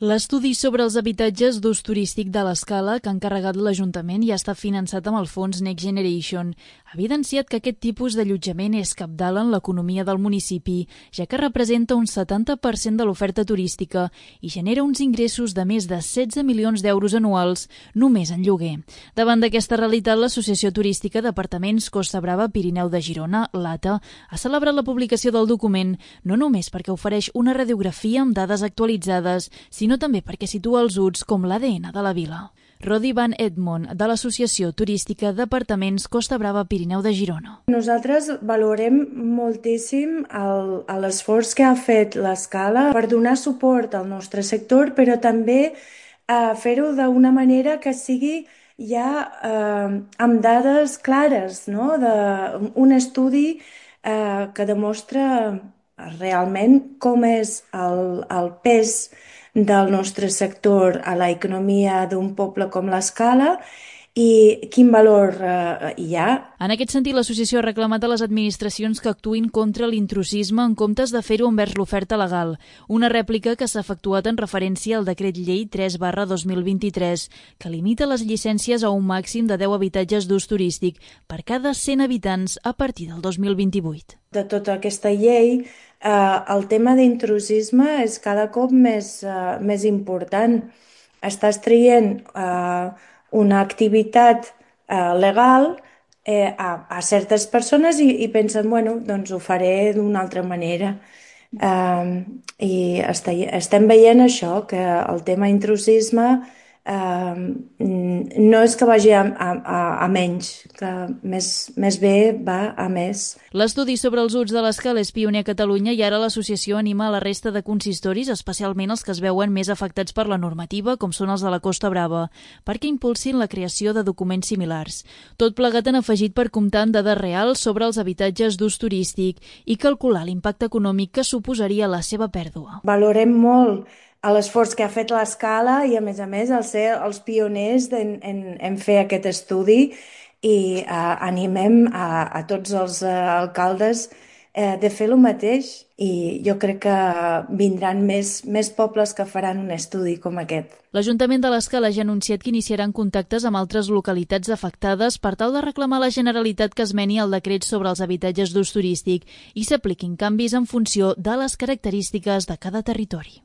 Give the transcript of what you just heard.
L'estudi sobre els habitatges d'ús turístic de l'Escala que ha encarregat l'Ajuntament i ha estat finançat amb el fons Next Generation ha evidenciat que aquest tipus d'allotjament és cabdal en l'economia del municipi, ja que representa un 70% de l'oferta turística i genera uns ingressos de més de 16 milions d'euros anuals només en lloguer. Davant d'aquesta realitat, l'Associació Turística d'Apartaments Costa Brava Pirineu de Girona, l'ATA, ha celebrat la publicació del document no només perquè ofereix una radiografia amb dades actualitzades, sinó també perquè situa els UTS com l'ADN de la vila. Rodi Van Edmond, de l'Associació Turística d'Apartaments Costa Brava Pirineu de Girona. Nosaltres valorem moltíssim l'esforç que ha fet l'Escala per donar suport al nostre sector, però també fer-ho d'una manera que sigui ja amb dades clares, no? Un estudi que demostra realment com és el pes del nostre sector a l'economia d'un poble com l'Escala i quin valor hi ha. En aquest sentit, l'associació ha reclamat a les administracions que actuïn contra l'intrusisme en comptes de fer-ho envers l'oferta legal, una rèplica que s'ha efectuat en referència al decret llei 3/2023, que limita les llicències a un màxim de 10 habitatges d'ús turístic per cada 100 habitants a partir del 2028. De tota aquesta llei, el tema d'intrusisme és cada cop més important. Estàs traient una activitat legal a certes persones i pensen, bueno, doncs ho faré d'una altra manera. I estem veient això, que el tema intrusisme no és que vagi a menys, que més bé va a més. L'estudi sobre els UTS de l'Escala és pioner a Catalunya i ara l'associació anima a la resta de consistoris, especialment els que es veuen més afectats per la normativa, com són els de la Costa Brava, perquè impulsin la creació de documents similars. Tot plegat han afegit per comptar amb dades reals sobre els habitatges d'ús turístic i calcular l'impacte econòmic que suposaria la seva pèrdua. Valorem molt l'esforç que ha fet l'Escala i, a més, el ser els pioners en fer aquest estudi i animem a tots els alcaldes de fer el mateix i jo crec que vindran més pobles que faran un estudi com aquest. L'Ajuntament de l'Escala ja ha anunciat que iniciaran contactes amb altres localitats afectades per tal de reclamar a la Generalitat que es meni el decret sobre els habitatges d'ús turístic i s'apliquin canvis en funció de les característiques de cada territori.